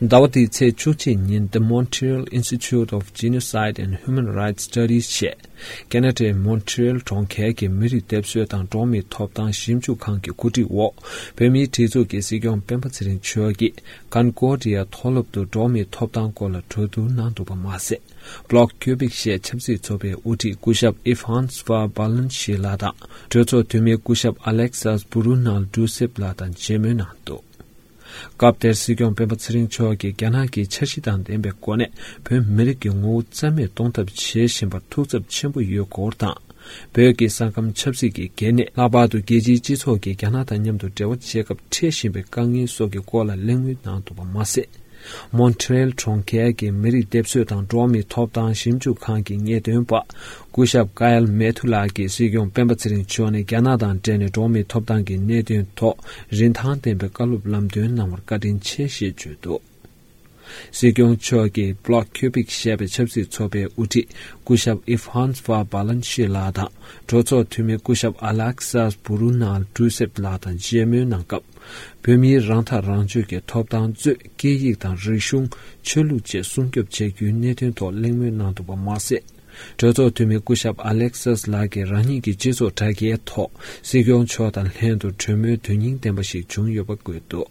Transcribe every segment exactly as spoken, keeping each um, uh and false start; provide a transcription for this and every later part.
ཟླ་བ་འདིའི་ཚེས་བཅུ་གཅིག་ཉིན། The Montreal Institute of Genocide and Human Rights Studies ཞེས་ཁེ་ན་ཌའི་མོན་ཊི་རེལ་གྲོང་ཁྱེར་གྱི་མི་རིགས་སྡེབ་གསོད་དང་འགྲོ་བ་མིའི་ཐོབ་ཐང་ཞིབ་འཇུག་ཁང་གི་གོ་སྒྲིག་འོག་བོད་མིའི་སྒྲིག་འཛུགས་ཀྱི་སྲིད་སྐྱོང་སྤེན་པ་ཚེ་རིང་མཆོག་གིས་ཀོན་ཀོར་ཌི་ཡ་མཐོ་སློབ་ཏུ་འགྲོ་བ་མིའི་ཐོབ་ཐང་སྐོར་ལ་གྲོས་བསྡུར་གནང་འདུག་པ་མ་ཟད། Bloc Québec ཞེས་ཆབ་སྲིད་ཚོགས་པའི་དབུ་ཁྲིད་སྐུ་ཞབས་Yves-François Balanché ལགས་དང་གྲོས་ཚོགས་འཐུས་མི་སྐུ་ཞབས་Alexis Bruno Duceppe ལགས་དང་མཇལ་མོལ་གནང་འདུག་སྐབས་དེར་སྲིད་སྐྱོང་སྤེན་པ་ཚེ་རིང་མཆོག་གིས་རྒྱ་ནག་གིས་འཆར་གཞི་དང་ལྡན་པའི་སྒོ་ནས་བོད་མི་རིགས་ཀྱི་ངོ་བོ་རྩ་མེད་གཏོང་ཐབས་བྱེད་བཞིན་པར་ཐུགས་འཚབ་ཆེན་པོ་ཡོད་སྐོར་དང་། བོད་ཀྱི་ས་ཁམས་ཆབ་སྲིད་ཀྱི་གལ་གནད། ལྷག་པར་དུ་རྒྱལ་སྤྱིའི་སྤྱི་ཚོགས་ཀྱིས་རྒྱ་ནག་དང་མཉམ་དུ་འབྲེལ་བ་བྱེད་སྐབས་འཕྲད་བཞིན་པའི་དཀའ་ངལ་སོགས་ཀྱི་སྐོར་ལ་གླེང་མོལ་གནང་འདུག་པ་མ་ཟད། མོན་ཊི་རེལ་གྲོང་ཁྱེར་གྱི་མི་རིགས་སྡེབ་གསོད་དང་འགྲོ་བ་མིའི་ཐོབ་ཐང་ཞིབ་འཇུག་ཁང་གི་ངེས་སྟོན་པ་སྐུ་ཞབས་ཀ་ཡལ་མེ་ཐུ་ལགས་ཀྱིས་སྲིད་སྐྱོང་སྤེན་པ་ཚེ་རིང་མཆོག་ནས་རྒྱ་ནག་དང་འབྲེལ་ནས་འགྲོ་བ་མིའི་ཐོབ་ཐང་གི་གནད་དོན་ཐོག་རིན་ཐང་ལྡན་པའི་བཀའ་སློབ་ལམ་སྟོན་གནང་བར་བཀའ་དྲིན་ཆེ་ཞེས་བརྗོད་འདུག་སྲིད་སྐྱོང་མཆོག་གིས་Bloc Québec ཞེས་པའི་ཆབ་སྲིད་ཚོགས་པའི་དབུ་ཁྲིད་སྐུ་ཞབས་Yves-François Balanché ལགས་དང་གྲོས་ཚོགས་འཐུས་མི་སྐུ་ཞབས་Alexis Bruno Duceppe ལགས་དང་མཇལ་མོལ་གནང་སྐབས། བོད་མིའི་རང་ཐག་རང་གཅོད་ཀྱི་ཐོབ་ཐང་གཙོས་སྐད་ཡིག་དང་རིག་གཞུང་། ཆོས་ལུགས་བཅས་སྲུང་སྐྱོབ་བྱ་རྒྱུའི་གནད་དོན་ཐོག་གླེང་མོལ་གནང་འདུག་པ་མ་ཟད། གྲོས་ཚོགས་འཐུས་མི་སྐུ་ཞབས་Alexis ལགས་ཀྱིས་རང་ཉིད་ཀྱི་སྤྱི་ཚོགས་དྲ་རྒྱའི་ཐོག་སྲིད་སྐྱོང་མཆོག་དང་ལྷན་དུ་གྲོས་མོལ་དོན་སྙིང་ལྡན་པ་ཞིག་བྱུང་ཡོད་པ་བཀོད་འདུག་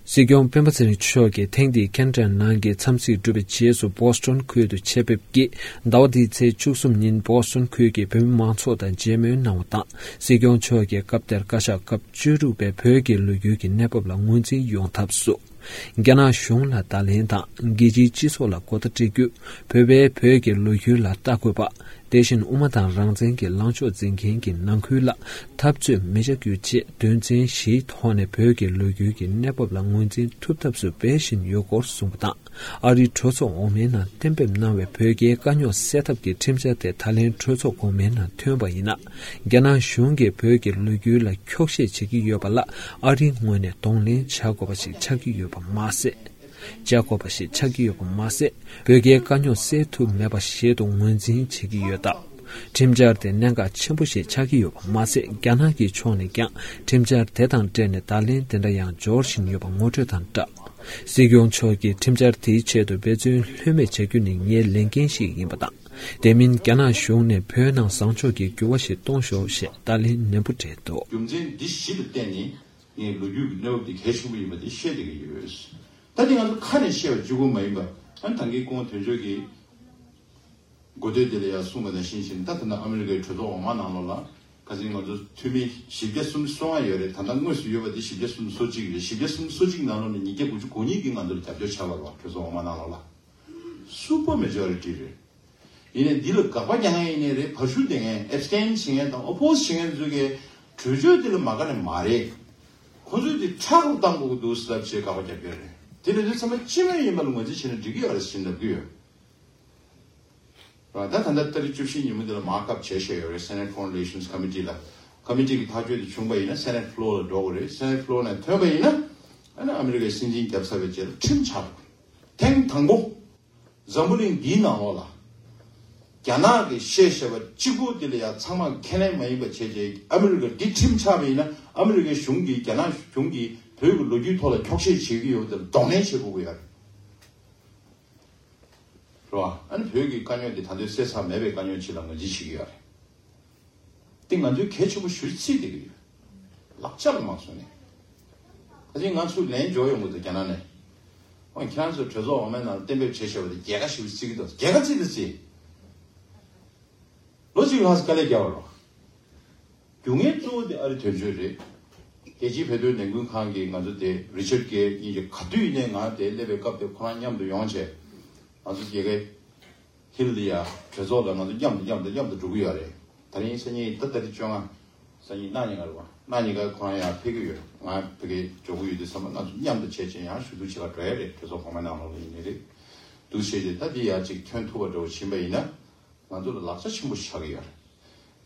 སྲིད་སྐྱོང་སྤེན་པ་ཚེ་རིང་མཆོག་གིས་ཐེངས་འདིའི་ཁེ་ན་ཌའི་ནང་གི་འཚམས་གཟིགས་གྲུབ་པའི་རྗེས་སུ་བོ་སི་ཊོན་ཁུལ་དུ་ཆེད་ཕེབས་ཀྱིས་ཟླ་བ་འདིའི་ཚེས་བཅུ་གསུམ་ཉིན་བོ་སི་ཊོན་ཁུལ་གྱི་བོད་མི་མང་ཚོགས་དང་མཇལ་མོལ་གནང་བ་དང་། སྲིད་སྐྱོང་མཆོག་གིས་སྐབས་དེར་བཀའ་ཤག་སྐབས་བཅུ་དྲུག་པས་བོད་ཀྱི་ལོ་རྒྱུས་ཀྱི་གནས་བབ་ལ་ངོས་འཛིན་ཡོང་ཐབས་སུ། རྒྱ་ནག་གཞུང་ལ་བརྡ་ལན་དང་རྒྱལ་སྤྱིའི་སྤྱི་ཚོགས་ལ་གོ་བརྡ་སྤྲད་རྒྱུ། བོད་པས་བོད་ཀྱི་ལོ་རྒྱུས་ལ་ལྟ་དགོས་པ། དེ་བཞིན་དབུ་མ་དང་རང་བཙན་གྱི་ལངས་ཕྱོགས་འཛིན་མཁན་གྱི་ནང་ཁུལ་ལ་འཐབ་རྩོད་མི་བྱ་རྒྱུ་བཅས་དོན་ཚན་བཞིའི་ཐོག་ནས་བོད་ཀྱི་ལོ་རྒྱུས་ཀྱི་གནས་བབ་ལ་ངོས་འཛིན་ཐུབ་ཐབས་སུ་འབད་བཞིན་ཡོད་སྐོར་གསུངས་པ་དང་། ཨ་རིའི་གྲོས་ཚོགས་འོག་མའི་ནང་གཏན་འབེབས་གནང་བའི་བོད་རྒྱའི་དཀའ་རྙོག་སེལ་ཐབས་ཀྱི་ཁྲིམས་འཆར་དེ་ད་ལན་གྲོས་ཚོགས་གོང་མའི་ནང་ཐོན་པ་ཡིན་ན། རྒྱ་ནག་གཞུང་གིས་བོད་ཀྱི་ལོ་རྒྱུས་ལ་འཁྱོག་བཤད་བྱེད་ཀྱི་ཡོད་པ་ལ་ཨ་རིའི་ངོས་ནས་གདོང་ལེན་བྱ་དགོས་པ་ཞིག་ཆགས་ཀྱི་ཡོད་པ་མ་ཟད། བྱ་དགོས་པ་ཞིག་ཆགས་ཀྱི་ཡོད་པ་མ་ཟད། བོད་རྒྱའི་དཀའ་རྙོག་སེལ་ཐུབ་མེད་པ་ཞིག་ཏུ་ངོས་འཛིན་བྱེད་ཀྱི་ཡོད་སྟབས། ཁྲིམས་འཆར་དེ་གནད་འགག་ཆེན་པོ་ཞིག་ཆགས་ཀྱི་ཡོད་པ་མ་ཟད། རྒྱ་ནག་གི་ཕྱོགས་ནས་ཀྱང་ཁྲིམས་འཆར་དེ་དང་འབྲེལ་ནས་བརྡ་ལན་དེ་འདྲ་ཡང་འབྱོར་བཞིན་ཡོད་པ་ངོ་སྤྲོད་དང་སྦྲགས། སྲིད་སྐྱོང་མཆོག་གིས་ཁྲིམས་འཆར་དེའི་ཆེད་དུ་འབད་བརྩོན་ལྷོད་མེད་བྱ་རྒྱུ་ནི་ངའི་ལས་འགན་ཞིག་ཡིན་པ་དང་། དེ་མིན་རྒྱ་ནག་གཞུང་ནས་བོད་ནང་བཟང་ཕྱོགས་ཀྱི་འགྱུར་བ་ཞིག་གཏོང་ཤོག་ཞེས་བརྡ་ལན་ནན་པོ་སྤྲད་འདུག་རྒྱུ་མཚན་འདི་བཞི་ལ་བརྟེན་ནས་ངས་ལོ་རྒྱུས་ཀྱི་གནས་བབ་འདི་གལ་ཆེན་པོ་ཡིན་པ་འདི་བཤད་བསྡད་ཀྱི་ཡོད། ད་འདི་ང་ཚོ་ཁ་ནས་བཤད་པ་གཅིག་པུ་མ་ཡིན་པ། ཨ་ནི་ད་གིན་སྐུ་ངོ་དོན་གཅོད་ཀྱིས་འགོ་སྟོད་འདི་ལ་ཡང་གསུངས་པ་ནང་བཞིན་བྱས་ནས། ད་ད་ལྟ་ཨ་མི་རི་ཀའི་གྲོས་ཚོགས་འོག་མ་ནང་ལོགས་ལ་ཁ་སང་ང་ཚོ་འཐུས་མི་བཞི་བརྒྱ་སུམ་ཅུ་སོ་ལྔ་ཡོད་རེད། ད་ལྟ་དངོས་སུ་ཡོད་པ་དེ་བཞི་བརྒྱ་སུམ་ཅུ་སོ་གཅིག་རེད། བཞི་བརྒྱ་སུམ་ཅུ་སོ་གཅིག་ནང་ལོགས་ནས་ཉིས་བརྒྱ་དགུ་བཅུ་གོ་གཉིས་ཀྱིས་ང་ཚོར་རྒྱབ་སྐྱོར་བྱས་པ་རེད་བ། གྲོས་ཚོགས་འོག་མ་ནང་ལོགས་ལ་སུ་པར་མེ་ཇོ་རི་ཊི་རེད། ཡིན་ནའི་འདི་ལ་དགག་པ་རྒྱག་མཁན་ཡིན་ནའི་རེད། ཕར་ཞུགས་བསྡད་མཁན། ཨེབ་སི་ཊེན་བྱེད་མཁན་དང་ཨོ་པོ་སི་བྱེད་མཁན་ཚོ་གིས་གྲོས་ཆོད་འདི་ལ་མ་དགའ་ནི་མ་རེད། ཁོ་ཚོས་འདི་ཁྲག་རུ་བཏང་དགོས་ཀྱི་འདུག་ཟེར་ལབ་བྱས་དགག་པ་རྒྱབ་ཀྱི་རེད། དེ་ལས་དོན་ཚང་མ་སྤྱི་མོས་ཡིན་པ་ལ་ངོས་འཛིན་བྱས་ན་འགྲིག་གི་ཡོད་རེད་ཟེར་ལབ་ཀྱི་ཡོད། རེད་བ། ད་ད་ལྟ་ཏ་རིག་བཅུ་བཞི་ཉིན་མོ་འདི་ལ་མར་ཀ་ཨབ་བྱས་བཞག་ཡོད་རེད། Senate Foreign Relations Committee ལ། ཀོ་མི་ཊི་གི་ཐག་གཅོད་དེ་བྱུང་པ་ཡིན་ན་སེ་ནེ་ཊི་ཕི་ལོར་ལ་འགྲོ་དགོས་རེད། སེ་ནེ་ཊི་ཕི་ལོར་ནས་ཐོན་པ་ཡིན་ན། ཨ་ནི་ཨ་མི་རི་ཀའི་སྲིད་འཛིན་བརྒྱབ་ཚར་བའི་རྗེས་ལ་ཁྲིམས་ཆགས་འགྲོ། ཐེངས་དང་པོ་འཛམ་བུ་གླིང་འདིའི་ནང་ལོགས་ལ་རྒྱ་ནག་གིས་བཤད་བཞག་པ་གཅིག་པུ་དེ་ལ་ཡང་ཚང་མ་ཁས་ལེན་མ་ཡིན་པ་བྱས་རྗེས་ཨ་མི་རི་ཀ་འདི་ཁྲིམས་ཆགས་པ་ཡིན་ན་ཨ་མི་རི་ཀའི་གཞུང་གིས་རྒྱ་ནག་གཞུང་གིས་བོད་ཀྱི་ལོ་རྒྱུས་ཐོག་ལ་འཁྱོག་བཤད་བྱེད་ཀྱི་ཡོད་པ་དེ་ལ་གདོང་ལེན་བྱེད་དགོས་ཀྱི་ཡོད་རེད། རེད་བ། ཨ་ནི་བོད་ཀྱི་དཀའ་རྙོག་འདི་ད་དུང་སེལ་ཚར་མེད་པའི་དཀའ་རྙོག་ཅིག་ལ་ངོས་འཛིན་བྱེད་ཀྱི་ཡོད་རེད། འདི་ང་ཚོའི་གལ་ཆེན་པོ་ཞེ་པོ་ཅིག་བརྩིས་བསྡད་ཀྱི་ཡོད། ལག་ཆ་ལ་མ་བཟུང་ནས། ད་ཅིག་ང་ཚོ་ལན་འབྱོར་ཡོང་གི་འདུག་རྒྱ་ནག་ནས། འོ་ཁྱེད་རང་ཚོས་གྲོས་ཚོགས་འོག་མའི་ནང་ལ་གཏན་འབེབས་བྱས་བཞག་པ་དེ་རྒྱལ་ཁ་ཞེ་པོ་ཅིག་བརྩི་གི་འདུག་རྒྱལ་ཁ་བརྩིས་དང་བརྩིས། ལོ་གཅིག་ལྷག་ཙམ་དཀའ་ལས་རྒྱག་པ་རེད། རྒྱུ་མཚན་གཙོ་བོ་དེ་ཨ་རི་དོན་གཅོད་རེད། རྒྱལ་སྤྱིའི་བོད་དོན་ལས་འགུལ་ཁང་གི་ང་ཚོ་དེ་རི་ཆར་གྷེ་གཉིས་ཀྱིས་ག་དུས་ཡིན་ནའི་ང་དེ་སླེབས་པའི་སྐབས་དེ་ཁོ་རང་མཉམ་དུ་ཡོང་བྱས། ང་ཚོ་རྒྱལ་ཁའི་ཧིལ་ལ་ཡ་གྲོས་ཚོགས་ལ་ང་ཚོ་མཉམ་དུ་མཉམ་དུ་མཉམ་དུ་འགྲོ་གི་ཡོད་རེད། དེ་རིང་སང་ཉིན་ད་ད་རེས་བཅོ་ལྔ། སང་ཉིན་གནངས་ཉིན་ག་རེད་བ། གནངས་ཉིན་ག་ཁོ་རང་ཡར་ཕེབས་ཀྱི་ཡོད། ང་ཕ་གིར་འགྲོ་གི་ཡོད་དུས་ཙམ་པ་ང་ཚོ་མཉམ་དུ་བྱས་བྱས་ཡང་ཞུ་གཏུག་བྱེད་ག་འགྲོ་ཡ་རེད། གྲོས་ཚོགས་གོང་མའི་ནང་ལོགས་ལ་ཡིན་ནའི་རེད། འདུག་བྱས་བྱས་ད་འདི་ཡར་ཅིག་ཐོན་ཐུབ་པ་འདྲ་བོ་ཕྱིན་པ་ཡིན་ན། ང་ཚོ་ལ་ལག་ཆ་ཆེན་པོ་ཆགས་ཀྱི་ཡོད་རེད།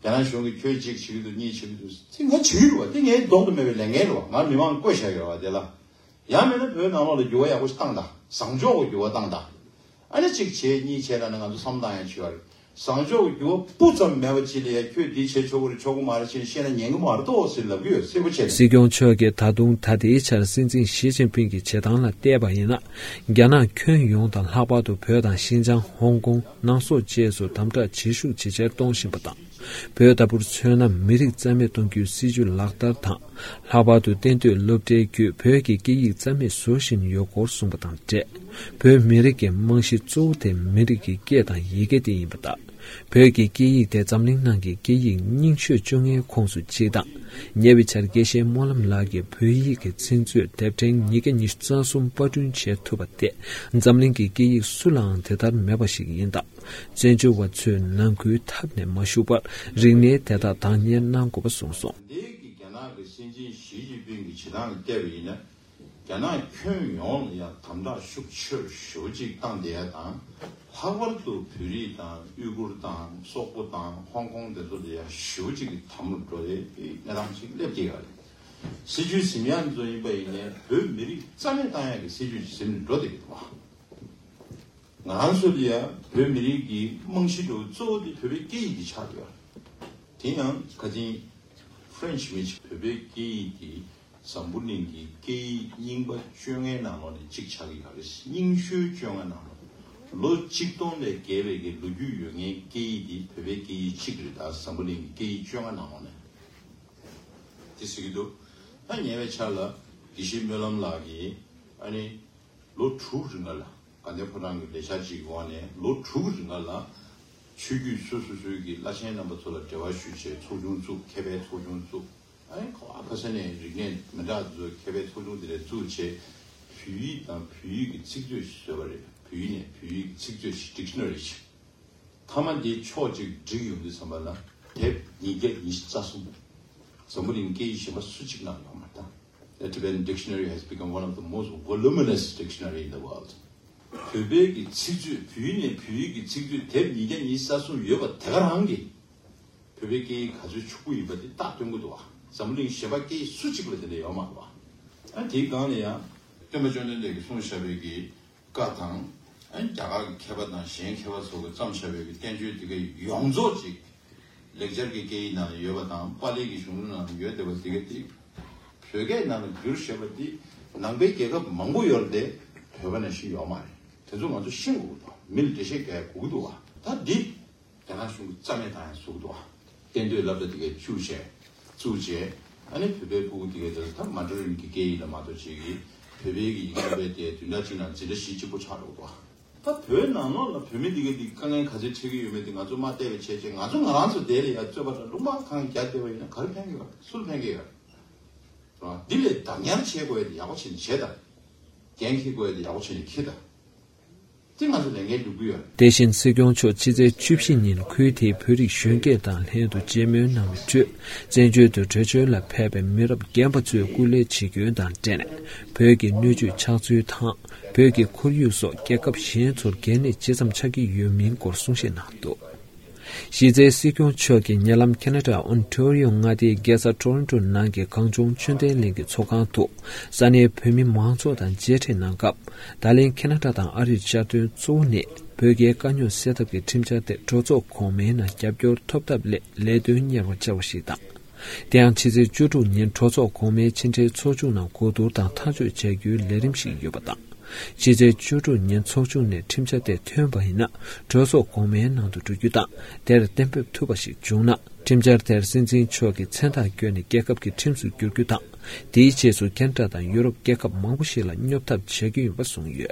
རྒྱ་ནག་གཞུང་གིས་ཁྱོད་གཅིག་བྱེད་ཀྱི་འདུག་གཉིས་བྱེད་ཀྱི་འདུག་ཟེར། ང་བྱེད་ཀྱི་རེད་བ། དེ་ངའི་ལྡོག་ཏུ་མེད་པའི་ལས་འགན་རེད་བ། ང་མི་མང་བསྐོས་བཞག་ཡོད་བ་དེ་ལ། ཡང་མིན་ན་བོད་ནང་ལོགས་ལ་འགྱུར་བ་ཡག་པོ་ཞིག་བཏང་དང་། བཟང་ཕྱོགས་ཀྱི་འགྱུར་བ་བཏང་དང་། ཨ་ནི་གཅིག་བྱས་གཉིས་བྱས་ལབ་ན་ང་ཚོ་བསམ་བློ་བཏང་ཡ་ཅིག་ཡོད་རེད། བཟང་ཕྱོགས་ཀྱི་འགྱུར་བ་སྤུ་ཙམ་མེད་པ་ཅིག་ལ་ཡང་ཁྱོད་འདི་བྱེད་ཆོག་གི་རེད་ཆོག་གི་མ་རེད་ཅེས་བཤད་ན་ཉན་གི་མ་རེད་དོ་ཟེར་ལབ་ཀྱི་ཡོད། གསལ་པོ་བྱས། སྲིད་སྐྱོང་མཆོག་གིས་ད་དུང་ད་ལྟའི་ཆར་སྲིད་འཛིན་ཞི་ཅིན་ཕིང་གི་བྱེད་སྟངས་ལ་བལྟས་པ་ཡིན་ན། རྒྱ་ནག་ཁྱོན་ཡོངས་དང་ལྷག་པར་དུ་བོད་དང་ཤིན་ཅང་། ཧོང་ཀོང་། ནང་སོག་བཅས་སུ་དམ་དྲག་བྱེད་ཤུགས་ཇེ་ཆེར་གཏོང་བཞིན་པ་དང་། བོད་ལྟ་བུར་མཚོན་ན་མི་རིགས་རྩ་མེད་གཏོང་རྒྱུའི་སྲིད་ཇུས་ལག་བསྟར་དང་། ལྷག་པར་དུ་གཏན་སྡོད་སློབ་གྲྭའི་བརྒྱུད་བོད་ཀྱི་སྐད་ཡིག་རྩ་མེད་བཟོ་བཞིན་ཡོད་སྐོར་གསུངས་པ་དང་འབྲེལ། བོད་མི་རིགས་ཀྱི་རྨང་གཞི་གཙོ་བོ་དེ་མི་རིགས་ཀྱི་སྐད་དང་ཡི་གེ་དེ་ཡིན་པ་དང་། བོད་ཀྱི་སྐད་ཡིག་དེ་འཛམ་གླིང་ནང་གི་སྐད་ཡིག་རྙིང་ཤོས་བཅོ་ལྔའི་ཁོངས་སུ་གཅིག་དང་། ཉེ་བའི་ཆར་དགེ་བཤེས་སྨོན་ལམ་ལགས་ཀྱིས་བོད་ཡིག་གི་ཚིག་མཛོད་དེབ་ཕྲེང་ཉིས་བརྒྱ་ཉི་ཤུ་རྩ་གསུམ་པར་སྐྲུན་བྱེད་ཐུབ་པ་དེ་འཛམ་གླིང་གི་སྐད་ཡིག་སུ་ལའང་དེ་ལྟར་མེད་པ་ཞིག་ཡིན་སྟབས། བཙན་བྱོལ་བ་ཚོས་ནང་ཁུལ་འཐབ་ནས་མ་བཞུགས་པར་རིག་གནས་དེ་དག་བདག་གཉེར་གནང་དགོས་པ་གསུངས་སོང་། འདི་གི་རྒྱ་ནག་གི་སྲིད་འཛིན་ཞི་ཅིན་ཕིང་གི་བྱེད་སྟངས་ལ་བལྟས་པ་ཡིན་ན། རྒྱ་ནག་ཁྱོན་ཡོངས་ལ་ཡང་དམ་དྲག་ཤུགས་ཆེ་རུ་ཞེ་པོ་ཅིག་བཏང་བསྡད་ཡ་དང་། ལྷག་པར་དུ་བོད་རིགས་དང་ཡུ་གུར་དང་སོག་པོ་དང་ཧོང་ཀོང་དེ་ཚོ་ལ་ཡང་ཞེ་པོ་ཅིག་གི་དམ་རུ་འགྲོ་ཡའི་གནས་སྟངས་ཅིག་སླེབས་བསྡད་ཡོད་རེད། སྲིད་ཇུས་ཟིན་ཡ་ཚོ་ཡིན་པ་ཡིན་ནའི་བོད་མི་རིགས་རྩ་མེད་བཏང་ཡ་གི་སྲིད་ཇུས་ཟིན་འགྲོ་བསྡད་ཀྱི་འདུག་བ། ང་རང་ཚོ་ལ་ཡང་བོད་མི་རིགས་ཀྱི་རྨང་གཞི་འདྲ་བོ་གཙོ་བོ་དེ་བོད་པའི་སྐད་ཡིག་དེ་ཆགས་ཡོད་རེད། དེ་ཡང་ཁ་སང་French་མི་ཞིག་བོད་པའི་སྐད་ཡིག་དེ་འཛམ་བུ་གླིང་གི་སྐད་ཡིག་རྙིང་པ་བཅོ་ལྔའི་ནང་ལོགས་ནས་གཅིག་ཆགས་ཀྱི་ཡོད་རེད། རྙིང་ཤོས་བཅོ་ལྔ་ནང་ལོགས། ལོ་གཅིག་སྟོང་ལས་བརྒལ་བའི་གི་ལོ་རྒྱུས་ཡོད་མཁན་སྐད་ཡིག་དེ་བོད་པའི་སྐད་ཡིག་གཅིག་རེད། ད་འཛམ་བུ་གླིང་གི་སྐད་ཡིག་བཅོ་ལྔ་ནང་ལོགས་ནས་དེ་ཟེར་གྱི་འདུག་ད་ཉེ་བའི་ཆར་ལ་དགེ་བཤེས་སྨོན་ལམ་ལགས་ཀྱིས་ཨ་ནི། ལོ་དྲུག་རིང་ལ་དགའ་ལྡན་ཕོ་བྲང་གི་ལས་འཆར་གཅིག་གི་འོག་ནས་ལོ་དྲུག་རིང་ལ་ཆོས་བརྒྱུད་སོ་སོ་སོའི་གི་བླ་ཆེན་རྣམ་པ་ཚོ་ལ་འབྲེལ་བ་ཞུས་བྱས་ཚོགས་ཆུང་བཙུགས། མཁས་པའི་ཚོགས་ཆུང་བཙུགས། ཨ་ནི་ཁ་བ་ཁ་ས་ནས་རིག་གནས་མི་འདྲ་ཚོ་མཁས་པའི་ཚོགས་ཆུང་དེ་ལས་བཙུགས་བྱས་བོད་ཡིག་དང་བོད་ཡིག་གི་ཚིག་མཛོད་ཞིག་བཟོས་པ་རེད། བོད་ཡིག་ནས་བོད་ཡིག་གི་ཚིག་མཛོད་ཞིག Dictionary་ཞིག་མཐའ་མ་འདི་ཕྱོགས་གཅིག་བསྒྲིགས་ཡོང་དུས་ཙམ་པ་ལ་དེབ་ཉིས་བརྒྱ་ཉི་ཤུ་རྩ་གསུམ། འཛམ་བུ་གླིང་སྐད་ཡིག་གཞན་པ་སུ་གཅིག་ནང་ཡོད་མ་རེད་ད། The Tibetan dictionary has become one of the most voluminous dictionary in the world. བོད་པའི་གི་ཚིག་མཛོད། བོད་ཡིག་ནས་བོད་ཡིག་གི་ཚིག་མཛོད་དེབ་ཉིས་བརྒྱ་ཉི་ཤུ་རྩ་གསུམ་ཡོད་པ་དེ་ག་རང་གིས་བོད་པའི་སྐད་ཡིག་ག་ཚོད་ཕྱུག་པོ་ཡིན་པ་དེ་རྟགས་སྟོན་གྱི་འདུག་བ། འཛམ་བུ་གླིང་གཞན་པ་སྐད་ཡིག་སུ་གཅིག་ལ་དེ་འདྲ་ཡོད་མ་རེད་བ། ཨ་དེའི་སྒང་ལ་ཡང་སྟོན་པ་བཅོམ་ལྡན་འདས་ཀྱིས་གསུངས་བཞག་པའི་གི་བཀའ་དང་། ཨ་ནི་རྒྱ་གར་གྱི་མཁས་པ་དང་གཞན་མཁས་པ་ཚོ་གིས་བརྩམས་བཞག་པའི་བསྟན་བཅོས་དེ་ག་ཡོངས་རྫོགས་ཅིག་ལེགས་སྦྱར་གྱི་སྐད་ཡིག་ནང་ཡོད་པ་དང་པཱ་ལི་གི་གཞུང་ལུགས་ནང་ཡོད་བསྡད་པ་དེ་ག་དེ་བོད་སྐད་ནང་ལ་བསྒྱུར་བཞག་པ་དེ་ནང་པའི་རྒྱལ་ཁབ་མང་པོ་ཡོད་རེད་དེ། བོད་པ་ནང་བཞིན་ཡོད་མ་རེད། དེ་ཚོ་ང་ཚོ་ཤེས་དགོས་ཀྱི་འདུག་མི་ལ་འགྲེལ་བཤད་རྒྱག་དགོས་ཀྱི་འདུག་བ། ད་འདི། རྒྱ་ནག་གཞུང་གིས་རྩ་མེད་བཏང་ཡ་བཟོ་གི་འདུག་བ། གཏན་སྡོད་སློབ་གྲྭ་དེ་གའི་བཅུག་བྱས། བཙུགས་བྱས། ཨ་ནི་བོད་པའི་སྤུ་གུ་དེ་གའི་དེ་ད་མ་ཌ་རིན་གྱི་སྐད་ཡིག་ལ་མ་གཏོགས་བྱེད་ཀྱི། བོད་པའི་གི་ཡིག་ཚད་པའི་དེ་བདུན་ཕྲག་གཅིག་ནང་འཛིན་གྲྭ་བཞི་གཅིག་པོ་ཆགས་འགྲོ་གི་འདུག་བ། ད་བོད་ནང་ལོགས་ལ་བོད་མི་དེ་གའི་དེ་དཀའ་ངལ་ག་ཚོད་འཕྲད་ཀྱི་ཡོད་མེད་དེ་ང་ཚོ་མ་བལྟས་པའི་ཆེད་ཆེད་ང་ཚོ་ང་རང་ཚོ་དེ་ལ་ཡ་རྩོད་པ་དང་ལུང་པ་གང་རྒྱག་བསྡད་པ་ཡིན་ན་ག་རེ་ཕན་གྱི་ཡོད་རེད། སུ་ལ་ཕན་གྱི་ཡོད་རེད། རེད་བ། འདི་ལས་བདག་ཉར་བྱེད་དགོས་ཡ་དེ་ཡག་པོ་བྱས་ནས་བྱེད་དང་། འགན་འཁྱེར་དགོས་ཡ་དེ་ཡག་པོ་བྱས་ནས་འཁྱེར་དང་། དེ་ང་ཚོ་ལས་འགན་སྒྲུབ་ཀྱི་ཡོད་རེད། དེ་བཞིན་སྲིད་སྐྱོང་མཆོག་ཕྱི་ཚེས་བཅུ་བཞི་ཉིན་ཁུལ་དེའི་བོད་རིགས་གཞོན་སྐྱེས་དང་ལྷན་དུ་མཇལ་མོལ་གནང་བའི་ཁྲོད། བཙན་བྱོལ་དུ་བྲོས་བྱོལ་ལ་ཕེབས་པའི་མི་རབས་རྒན་པ་ཚོས་སྐུ་ལས་བྱེད་སྐྱོན་དང་འབྲེལ་ནས་བོད་ཀྱི་སྣོད་བཅུད་ཆགས་ཚུལ་དང་། བོད་ཀྱི་ཁོར་ཡུག་སོགས་རྒྱལ་ཁབ་གཞན་ཚོར་གལ་གནད་ཇི་ཙམ་ཆགས་ཀྱི་ཡོད་མིན་སྐོར་གསུང་བཤད་གནང་འདུག་གཞི་རྩའི་སྲིད་སྐྱོང་མཆོག་གིས་ཉེ་ལམ་ཁེ་ན་ཌ་ཨོན་ཊ་རི་ཡོ་མངའ་སྡེའི་རྒྱལ་ས་ཊོ་རོན་ཊོ་ནང་གི་གངས་ལྗོངས་ཆོས་ལྡན་གླིང་གི་ཚོགས་ཁང་དུ་ས་གནས་བོད་མི་མང་ཚོགས་དང་མཇལ་འཕྲད་གནང་སྐབས། ད་ལན་ཁེ་ན་ཌ་དང་ཨ་རིར་བཅར་དོན་གཙོ་བོ་ནི་བོད་རྒྱའི་དཀའ་རྙོག་སེལ་ཐབས་ཀྱི་ཁྲིམས་འཆར་དེ་གྲོས་ཚོགས་གོང་མའི་ནང་རྒྱབ་སྐྱོར་ཐོབ་ཐབས་སླད་ལས་དོན་གཉེར་བར་བཅར་བ་ཞིག་དང་། དེ་ཡང་ཕྱི་ཚེས་བཅུ་དྲུག་ཉིན་གྲོས་ཚོགས་གོང་མའི་ཕྱི་འབྲེལ་ཚོགས་ཆུང་ནང་གོ་བསྡུར་དང་ཐག་གཅོད་བྱ་རྒྱུའི་ལས་རིམ་ཞིག་ཡོད་པ་དང་། ཕྱི་ཚེས་བཅུ་དྲུག་ཉིན་ཚོགས་ཆུང་ནས་ཁྲིམས་འཆར་དེ་ཐོན་པ་ཡིན་ན་གྲོས་ཚོགས་གོང་མའི་ནང་དུ་འགྲོ་རྒྱུ་དང་། དེར་གཏན་འབེབས་ཐུབ་པ་ཞིག་བྱུང་ན། ཁྲིམས་འཆར་དེར་སྲིད་འཛིན་མཆོག་གིས་མཚན་རྟགས་བསྐྱོན་ནས་རྒྱལ་ཁབ་ཀྱི་ཁྲིམས་སུ་བསྒྱུར་རྒྱུ་དང་། དེའི་རྗེས་སུ་ཁེ་ན་ཌ་དང་ཡུ་རོབ་རྒྱལ་ཁབ་མང་པོ་ཞིག་ལ་སྙོབ་ཐབས་བྱ་རྒྱུ་ཡིན་པ་གསུངས་ཡོད།